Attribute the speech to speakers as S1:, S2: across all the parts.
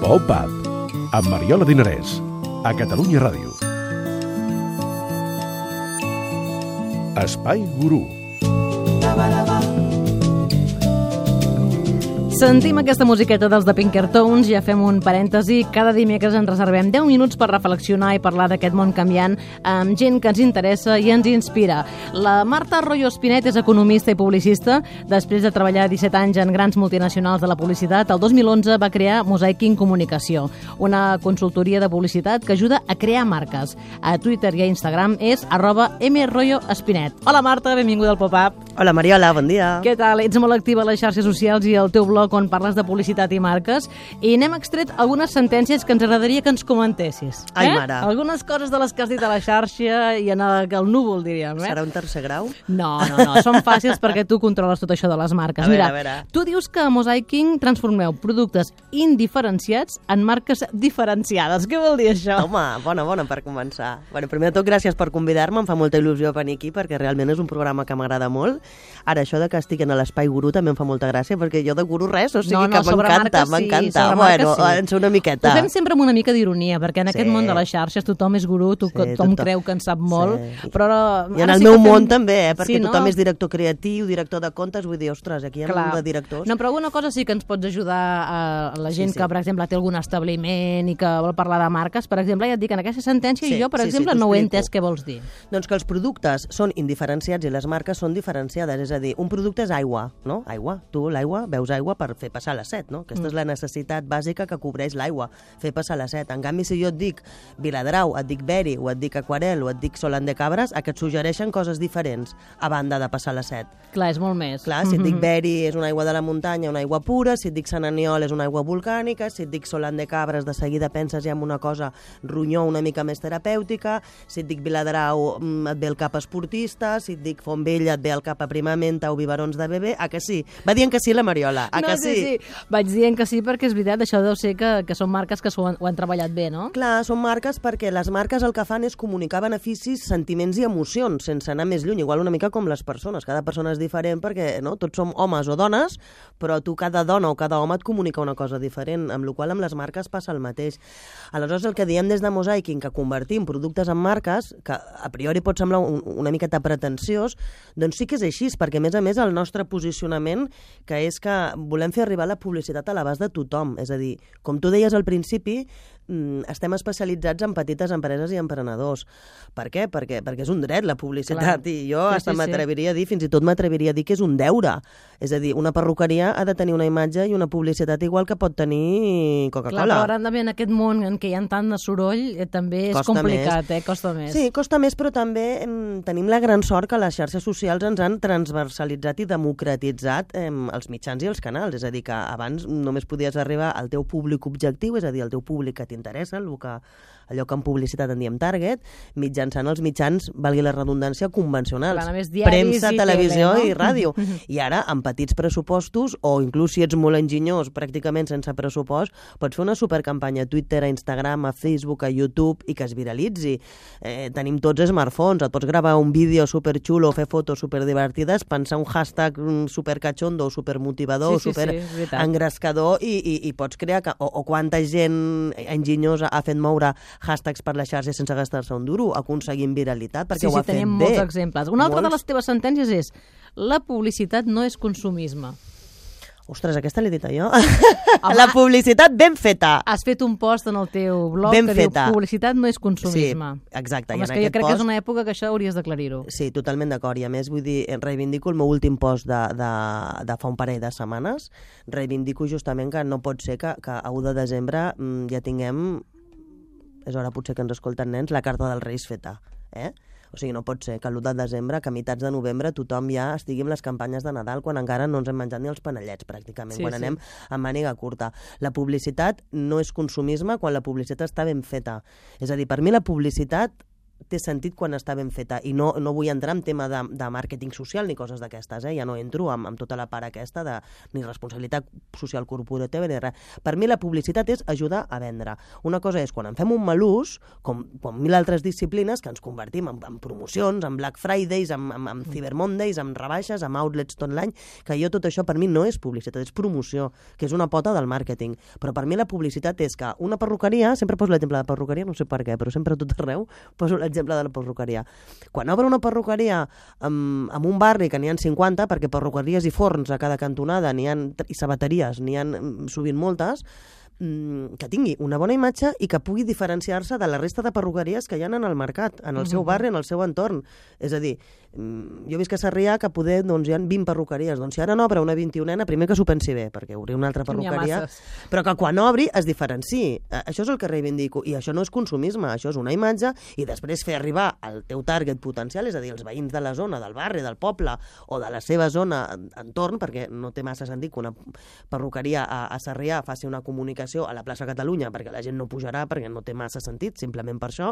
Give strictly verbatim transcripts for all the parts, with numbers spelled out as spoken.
S1: Pop-Up, amb Mariola Dinarès, a Catalunya Ràdio. Espai Gurú.
S2: Sentim aquesta musiqueta dels The Pinkertones, ja fem un parèntesi. Cada dimecres ens reservem deu minuts per reflexionar i parlar d'aquest món canviant amb gent que ens interessa i ens inspira. La Marta Royo Espinet és economista i publicista. Després de treballar disset anys en grans multinacionals de la publicitat, el dos mil onze va crear Mosaiking Comunicació, una consultoria de publicitat que ajuda a crear marques. A Twitter i a Instagram és arroba mroyoespinet. Hola Marta, benvinguda al Pop-Up.
S3: Hola Mariola, bon dia.
S2: Què tal? Ets molt activa a les xarxes socials i al teu blog on parles de publicitat i marques, i n'hem extret algunes sentències que ens agradaria que ens comentessis.
S3: Ai,
S2: eh?
S3: mare.
S2: Algunes coses de les que has dit a la xarxa i en el, el núvol, diríem. Eh?
S3: Serà un tercer grau?
S2: No, no, no, són fàcils perquè tu controles tot això de les marques.
S3: A veure,
S2: Mira,
S3: a veure.
S2: tu dius que a Mosaiking transformeu productes indiferenciats en marques diferenciades. Què vol dir això?
S3: Home, bona, bona per començar. Bueno, primer de tot, gràcies per convidar-me, em fa molta il·lusió venir aquí perquè realment és un programa que m'agrada molt. Ara, això de que estic en l'Espai Gurú també em fa molta gràcia perquè jo de gurú res, o sigui
S2: no, no,
S3: que m'encanta,
S2: sí,
S3: m'encanta. Bueno,
S2: sí.
S3: en sé una miqueta.
S2: Ho fem sempre amb una mica d'ironia, perquè en
S3: Sí.
S2: aquest món de les xarxes tothom és gurú, tu,
S3: Sí,
S2: tothom,
S3: tothom.
S2: creu que en sap molt,
S3: Sí.
S2: però...
S3: I en
S2: ara
S3: el
S2: sí
S3: meu
S2: que fem...
S3: món també, eh? perquè
S2: Sí, no?
S3: tothom és director creatiu, director de comptes, vull dir, ostres, aquí hi ha
S2: Clar.
S3: un de directors.
S2: No, però alguna cosa sí que ens pots ajudar a la gent
S3: Sí, sí.
S2: que, per exemple, té algun establiment i que vol parlar de marques. Per exemple, ja et dic, en aquesta sentència
S3: Sí,
S2: jo, per
S3: sí, sí,
S2: exemple,
S3: t'ho
S2: no ho he
S3: explico.
S2: entès què vols dir.
S3: Doncs que els productes són indiferenciats i les marques són diferenciades, és a dir, un producte és aigua, no? Aigua, tu l'aigua, beus aigua per fer passar la set, no? Aquesta mm. és la necessitat bàsica que cobreix l'aigua, fer passar la set. En canvi, si jo et dic Viladrau, et dic Beri, o et dic Aquarel, o et dic Solant de Cabres, a que et suggereixen coses diferents a banda de passar la set.
S2: Clar, és molt més.
S3: Clar, si et dic Beri és una aigua de la muntanya, una aigua pura, si et dic Sant Aniol és una aigua volcànica, si et dic Solant de Cabres de seguida penses ja en una cosa ronyó una mica més terapèutica, si et dic Viladrau mm, et ve el cap esportista, si et dic Fontvella et ve el cap aprimamenta o biberons de bebè, a que sí? Va dient que sí la Mariola, a
S2: no,
S3: que
S2: sí,
S3: sí?
S2: sí. Vaig dient que sí perquè és veritat, això deu ser que, que són marques que ho han, ho han treballat bé, no?
S3: Clar, són marques perquè les marques el que fan és comunicar beneficis, sentiments i emocions, sense anar més lluny, igual una mica com les persones. Cada persona és diferent perquè no, tots som homes o dones, però tu cada dona o cada home et comunica una cosa diferent, amb la qual amb les marques passa el mateix. Aleshores, el que diem des de Mosaiking, que convertim productes en marques, que a priori pot semblar un, una miqueta pretensiós, doncs sí que és així, perquè a més a més el nostre posicionament, que és que volem fer arribar la publicitat a l'abast de tothom. És a dir, com tu deies al principi, estem especialitzats en petites empreses i emprenedors. Per què? Perquè, perquè és un dret la publicitat. Clar. I jo
S2: sí,
S3: hasta
S2: sí,
S3: m'atreviria a dir, fins i tot m'atreviria a dir que és un deure. És a dir, una perruqueria ha de tenir una imatge i una publicitat igual que pot tenir Coca-Cola.
S2: Clar, però ara també en aquest món en què hi ha tant de soroll eh, també és
S3: Costa
S2: complicat,
S3: més.
S2: eh? Costa més.
S3: Sí, costa més, però també em, tenim la gran sort que les xarxes socials ens han transversalitzat i democratitzat em, els mitjans i els canals. És a dir, que abans només podies arribar al teu públic objectiu, és a dir, al teu públic que t'interessa, el que allò que en publicitat en diem target, mitjançant els mitjans, valgui la redundància, convencionals.
S2: Clar, només diaris
S3: premsa,
S2: i
S3: televisió
S2: tele, no?
S3: i ràdio. I ara, amb petits pressupostos, o inclús si ets molt enginyós, pràcticament sense pressupost, pots fer una supercampanya a Twitter, a Instagram, a Facebook, a YouTube, i que es viralitzi. Eh, tenim tots smartphones, et pots gravar un vídeo superxulo, fer fotos superdivertides, pensar un hashtag supercachondo, supermotivador,
S2: sí, sí,
S3: super
S2: sí,
S3: engrescador, i, i, i pots crear... O, o quanta gent enginyosa ha fet moure hashtags per les xarxes sense gastar-se un duro, aconseguint viralitat, perquè
S2: sí,
S3: ho ha
S2: sí,
S3: fet
S2: tenim
S3: bé.
S2: molts exemples. Una altra
S3: Molts.
S2: de les teves sentències és la publicitat no és consumisme.
S3: Ostres, aquesta l'he dita jo. La publicitat ben feta.
S2: Has fet un post en el teu blog
S3: Ben
S2: que
S3: feta.
S2: diu publicitat no és consumisme.
S3: Sí, exacte.
S2: Home,
S3: I
S2: és
S3: en
S2: que jo
S3: aquest
S2: crec
S3: post...
S2: que és una època que això hauries d'aclarir-ho.
S3: Sí, totalment d'acord. I a més, vull dir, reivindico el meu últim post de, de, de fa un parell de setmanes. Reivindico justament que no pot ser que, que a u de desembre mm, ja tinguem, és hora potser que ens escolten nens, la carta dels Reis feta. Eh? O sigui, no pot ser que l'u de desembre, que a meitats de novembre, tothom ja estigui amb les campanyes de Nadal quan encara no ens hem menjat ni els panellets, pràcticament,
S2: Sí,
S3: quan
S2: sí.
S3: anem amb màniga curta. La publicitat no és consumisme quan la publicitat està ben feta. És a dir, per mi la publicitat té sentit quan està ben feta, i no, no vull entrar en tema de, de màrqueting social ni coses d'aquestes, eh? Ja no entro amb, amb tota la part aquesta de ni responsabilitat social corporativa ni res. Per mi la publicitat és ajudar a vendre. Una cosa és quan en fem un mal ús, com, com mil altres disciplines, que ens convertim en, en promocions, en Black Fridays, en, en, en Cyber Mondays, en rebaixes, en outlets tot l'any, que jo tot això per mi no és publicitat, és promoció, que és una pota del màrqueting. Però per mi la publicitat és que una perruqueria, sempre poso l'exemple de perruqueria, no sé per què, però sempre a tot arreu poso l'exemple exemple de la perruqueria. Quan obre una perruqueria en, en un barri que n'hi ha cinquanta, perquè perruqueries i forns a cada cantonada n'hi ha, i sabateries n'hi ha sovint moltes, que tingui una bona imatge i que pugui diferenciar-se de la resta de perruqueries que hi ha en el mercat, en el seu barri, en el seu entorn. És a dir, jo visc a Sarrià que poder, doncs, hi ha vint perruqueries. Doncs si ara n'obre una vint-i-unena, primer que s'ho pensi bé, perquè obrir una altra perruqueria, però que quan obri es diferenciï. Això és el que reivindico. I això no és consumisme, això és una imatge, i després fer arribar al teu target potencial, és a dir, els veïns de la zona, del barri, del poble, o de la seva zona entorn, perquè no té massa sentit que una perruqueria a, a Sarrià faci una comunicació a la plaça Catalunya, perquè la gent no pujarà, perquè no té massa sentit, simplement per això.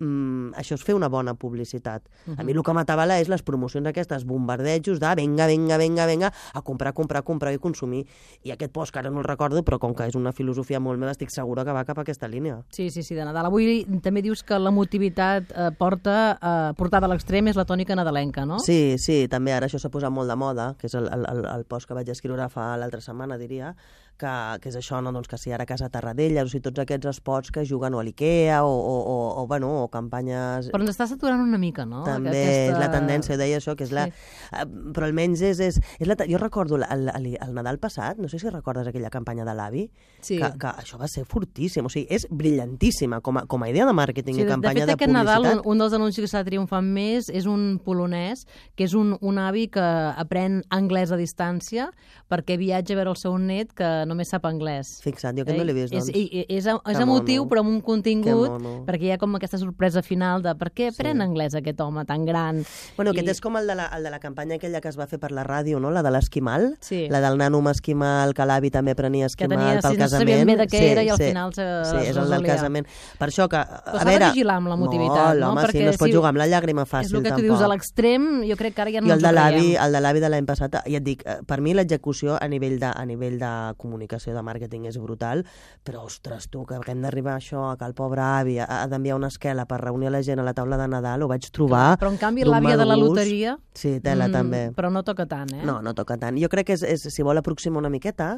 S3: Mm, això és fer una bona publicitat. Uh-huh. A mi el que m'atabala és les promocions aquestes, bombardejos de venga, venga, venga, venga, a comprar, comprar, comprar i consumir. I aquest post, que ara no el recordo, però com que és una filosofia molt meva, estic segura que va cap a aquesta línia.
S2: Sí, sí, sí, de Nadal. Avui també dius que l'emotivitat eh, porta, eh, portada a l'extrem és la tònica nadalenca, no?
S3: Sí, sí, també ara això s'ha posat molt de moda, que és el, el, el post que vaig escriure fa l'altra setmana, diria, que, que és això, no? Doncs que si ara a Casa Tarradellas, o sigui, tots aquests espots que juguen o a l'Ikea o, o, o, o, bueno, o campanyes...
S2: Però ens està saturant una mica, no?
S3: També
S2: Aquesta...
S3: és la tendència, deia això, que és la... Sí. Però almenys és... és, és la... Jo recordo el, el, el Nadal passat, no sé si recordes aquella campanya de l'Avi,
S2: sí.
S3: que, que això va ser fortíssim, o sigui, és brillantíssima com a, com a idea de màrqueting
S2: sí,
S3: i campanya de,
S2: de, fet,
S3: de publicitat.
S2: Nadal, un, un dels anuncis que està triomfant més és un polonès, que és un, un avi que aprèn anglès a distància perquè viatja a veure el seu net que només sap anglès.
S3: Fixa't, jo que no l'he vist, doncs.
S2: És, és, és emotiu, però amb un contingut, perquè hi ha com aquesta sorpresa final de per què aprèn sí. anglès aquest home tan gran.
S3: Bueno,
S2: I...
S3: aquest és com el de, la, el de la campanya aquella que es va fer per la ràdio, no? La de l'esquimal,
S2: sí.
S3: la del nano esquimal, que l'avi també prenia esquimal
S2: tenia,
S3: pel
S2: si
S3: casament.
S2: No sabien bé de què
S3: sí,
S2: era i al
S3: sí,
S2: final se
S3: sí, és el del casament. Per això que,
S2: però
S3: a veure...
S2: de vigilar amb l'emotivitat,
S3: no? Home,
S2: Perquè
S3: sí, no es pot
S2: si...
S3: jugar amb la llàgrima fàcil,
S2: és el que
S3: tampoc.
S2: tu dius, a l'extrem, jo crec que ara ja no
S3: I el
S2: ens ho creiem.
S3: el de l'avi de l'any passat, ja et dic, per mi l'execució a nivell de, a nivell de comunicació, de màrqueting és brutal, però, ostres, tu, que hem d'arribar a això, que el pobre avi ha, ha d'enviar una esquela per reunir la gent a la taula de Nadal, ho vaig trobar...
S2: Clar, però en canvi l'àvia de la loteria...
S3: Sí, tela, mm, també.
S2: Però no toca tant, eh?
S3: No, no toca tant. Jo crec que és, és si vol aproximar una miqueta,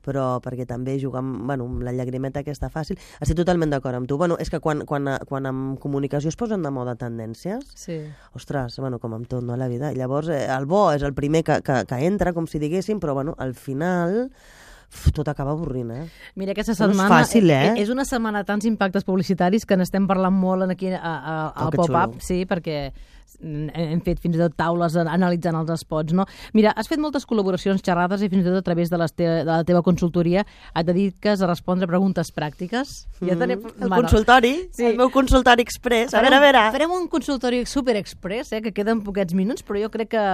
S3: però perquè també jugar amb, bueno, amb la llagrimeta aquesta fàcil. Estic totalment d'acord amb tu. Bueno, és que quan, quan, quan en comunicació es posen de moda tendències,
S2: sí.
S3: ostres, bueno, com amb tot, no, la vida. Llavors, eh, el bo és el primer que, que, que entra, com si diguéssim, però bueno, al final... Uf, tot acaba avorrint, eh?
S2: Mira, aquesta
S3: No
S2: setmana...
S3: és fàcil, eh?
S2: És una setmana de tants impactes publicitaris que n'estem parlant molt aquí a, a, al
S3: oh,
S2: pop-up, sí, perquè hem fet fins i tot taules analitzant els spots, no? Mira, has fet moltes col·laboracions, xerrades i fins i tot a través de, les te de la teva consultoria et dediques a respondre preguntes pràctiques.
S3: Mm,
S2: ja tenim...
S3: El
S2: bueno,
S3: consultori,
S2: sí.
S3: el meu consultori express. A
S2: farem,
S3: veure, a veure.
S2: Farem un consultori super express, eh, que queden poquets minuts, però jo crec que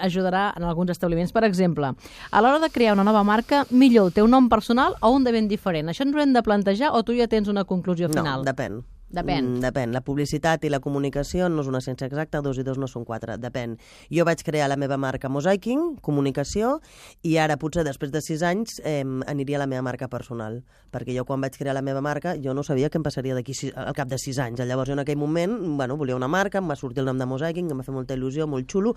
S2: ajudarà en alguns establiments. Per exemple, a l'hora de crear una nova marca, millor el teu nom personal o un de ben diferent? Això ens ho hem de plantejar o tu ja tens una conclusió final?
S3: No, depèn.
S2: Depèn.
S3: Mm, depèn. La publicitat i la comunicació no és una ciència exacta, dos i dos no són quatre. Depèn. Jo vaig crear la meva marca Mosaiking, comunicació, i ara potser després de sis anys eh, aniria a la meva marca personal. Perquè jo quan vaig crear la meva marca jo no sabia què em passaria d'aquí al cap de sis anys. Llavors jo en aquell moment bueno, volia una marca, em va sortir el nom de Mosaiking, em va fer molta il·lusió, molt xulo,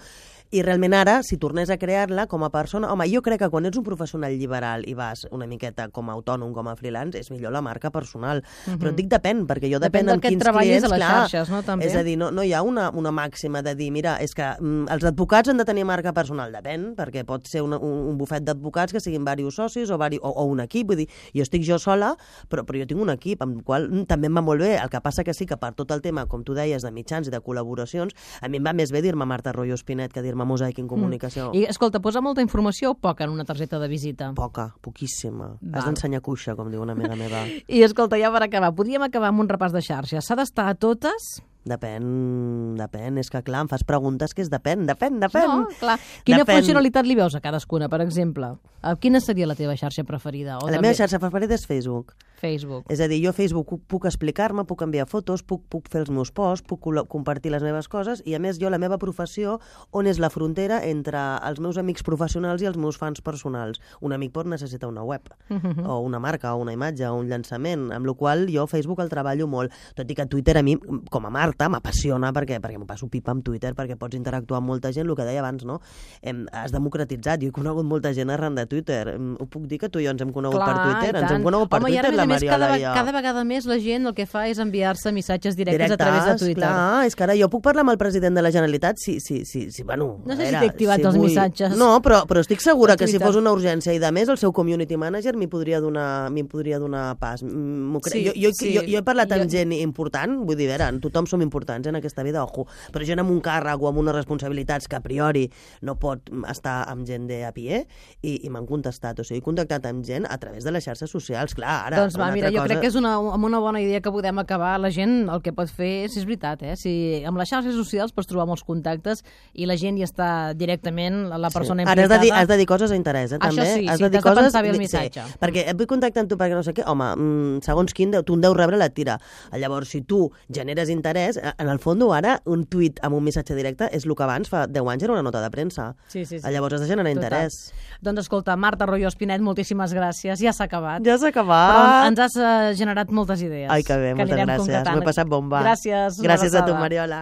S3: i realment ara, si tornés a crear-la com a persona... Home, jo crec que quan ets un professional liberal i vas una miqueta com a autònom, com a freelance, és millor la marca personal. Uh-huh. Però et dic depèn, perquè jo depèn amb quins clients,
S2: a les
S3: clar,
S2: xarxes, no, també?
S3: És a dir, no, no hi ha una, una màxima de dir, mira, és que mm, els advocats han de tenir marca personal, depèn, perquè pot ser una, un, un bufet d'advocats que siguin diversos socis o, vari, o, o un equip, vull dir, jo estic jo sola, però, però jo tinc un equip, amb el qual mm, també em va molt bé, el que passa que sí que per tot el tema, com tu deies, de mitjans i de col·laboracions, a mi em va més bé dir-me Marta Royo Espinet que dir-me Mosaic en Comunicació.
S2: Mm. I, escolta, posa molta informació o poca en una targeta de visita?
S3: Poca, poquíssima.
S2: Val.
S3: Has d'ensenyar cuixa, com diu una amiga meva.
S2: I escolta, ja per acabar, podríem acabar amb un repàs de xarxes. S'ha d'estar a totes?
S3: Depèn, depèn. És que, clar, em fas preguntes que és depèn, depèn, depèn.
S2: No, clar. Quina
S3: depèn.
S2: funcionalitat li veus a cadascuna, per exemple? Quina seria la teva xarxa preferida? O
S3: la
S2: també...
S3: meva xarxa preferida és Facebook.
S2: Facebook.
S3: És a dir, jo a Facebook puc explicar-me, puc enviar fotos, puc, puc fer els meus posts, puc compartir les meves coses i, a més, jo la meva professió, on és la frontera entre els meus amics professionals i els meus fans personals. Un amic pot necessitar una web, uh-huh. o una marca, o una imatge, o un llançament, amb la qual jo Facebook el treballo molt. Tot i que Twitter a mi, com a Marta, m'apassiona perquè, perquè m'ho passo pipa amb Twitter, perquè pots interactuar amb molta gent, el que deia abans, no? Hem, has democratitzat, jo he conegut molta gent arran de Twitter. Ho puc dir que tu i jo ens hem conegut
S2: Clar,
S3: per Twitter? Ens hem conegut per
S2: Home,
S3: Twitter, la Mariola
S2: cada,
S3: i jo.
S2: Cada vegada més la gent el que fa és enviar-se missatges directes,
S3: directes
S2: a través de Twitter.
S3: Clar, és que ara jo puc parlar amb el president de la Generalitat si, si, si, si bueno...
S2: No sé
S3: era,
S2: si t'he activat
S3: si
S2: els
S3: vull...
S2: missatges.
S3: No, però, però estic segura que si
S2: Twitter.
S3: fos una urgència i de més el seu community manager m'hi podria donar, m'hi podria donar pas. Cre...
S2: Sí,
S3: jo, jo,
S2: sí.
S3: jo, jo he parlat amb
S2: Jo-
S3: gent important, vull dir, vera, tothom som importants en aquesta vida, ojo, però gent amb un càrrec o amb unes responsabilitats que a priori no pot estar amb gent de a pie i, i m'han contestat, o sigui, he contactat amb gent a través de les xarxes socials, clar, ara...
S2: Doncs va,
S3: una
S2: mira,
S3: altra
S2: jo
S3: cosa...
S2: crec que és una, amb una bona idea que podem acabar. La gent el que pot fer, si és veritat, eh? Si amb les xarxes socials pots trobar molts contactes i la gent hi està directament, la persona
S3: sí. Ara has
S2: implicada...
S3: de, dir, has de dir coses d'interès, eh, també.
S2: Això sí,
S3: has
S2: sí,
S3: de dir
S2: t'has de
S3: coses...
S2: pensar bé el missatge.
S3: Sí, perquè et vull contactar amb tu perquè no sé què, home, mm, segons quin, deu, tu en deus rebre la tira. Llavors, si tu generes interès, en el fons ara un tuit amb un missatge directe és el que abans, fa deu anys, era una nota de premsa.
S2: Sí, sí, sí.
S3: Llavors has de generar
S2: Total.
S3: interès.
S2: Doncs escolta, Marta Royo Espinet, moltíssimes gràcies. Ja s'ha acabat.
S3: Ja s'ha acabat.
S2: Però ens has uh, generat moltes idees.
S3: Ai, que bé, moltes
S2: anirem
S3: gràcies.
S2: concretant.
S3: M'ho he passat bomba.
S2: Gràcies. una
S3: Gràcies a tu,
S2: abraçada.
S3: Mariola.